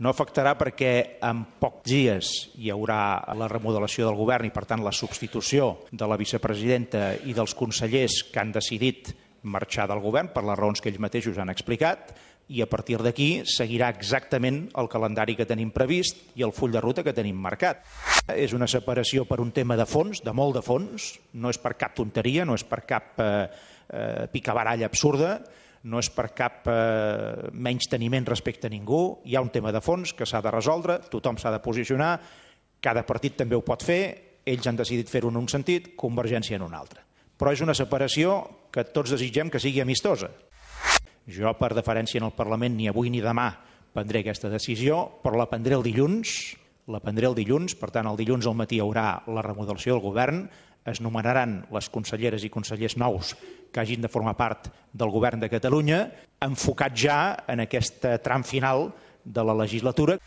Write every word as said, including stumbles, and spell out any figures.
No afectarà perquè en pocs dies hi haurà la remodelació del govern i, per tant, la substitució de la vicepresidenta i dels consellers que han decidit marxar del govern per les raons que ells mateixos han explicat, i a partir d'aquí seguirà exactament el calendari que tenim previst i el full de ruta que tenim marcat. És una separació per un tema de fons, de molt de fons, no és per cap tonteria, no és per cap eh, eh, picabaralla absurda, no és per cap eh, menysteniment respecte a ningú, hi ha un tema de fons que s'ha de resoldre, tothom s'ha de posicionar, cada partit també ho pot fer, ells han decidit fer-ho en un sentit, Convergència en un altre. Però és una separació que tots desitgem que sigui amistosa. Jo, per deferència en el Parlament, ni avui ni demà prendré aquesta decisió, però la prendré el dilluns, la prendré el dilluns, per tant, el dilluns al matí hi haurà la remodelació del govern, es nomenaran les conselleres i consellers nous que hagin de formar part del govern de Catalunya, enfocat ja en aquest tram final de la legislatura.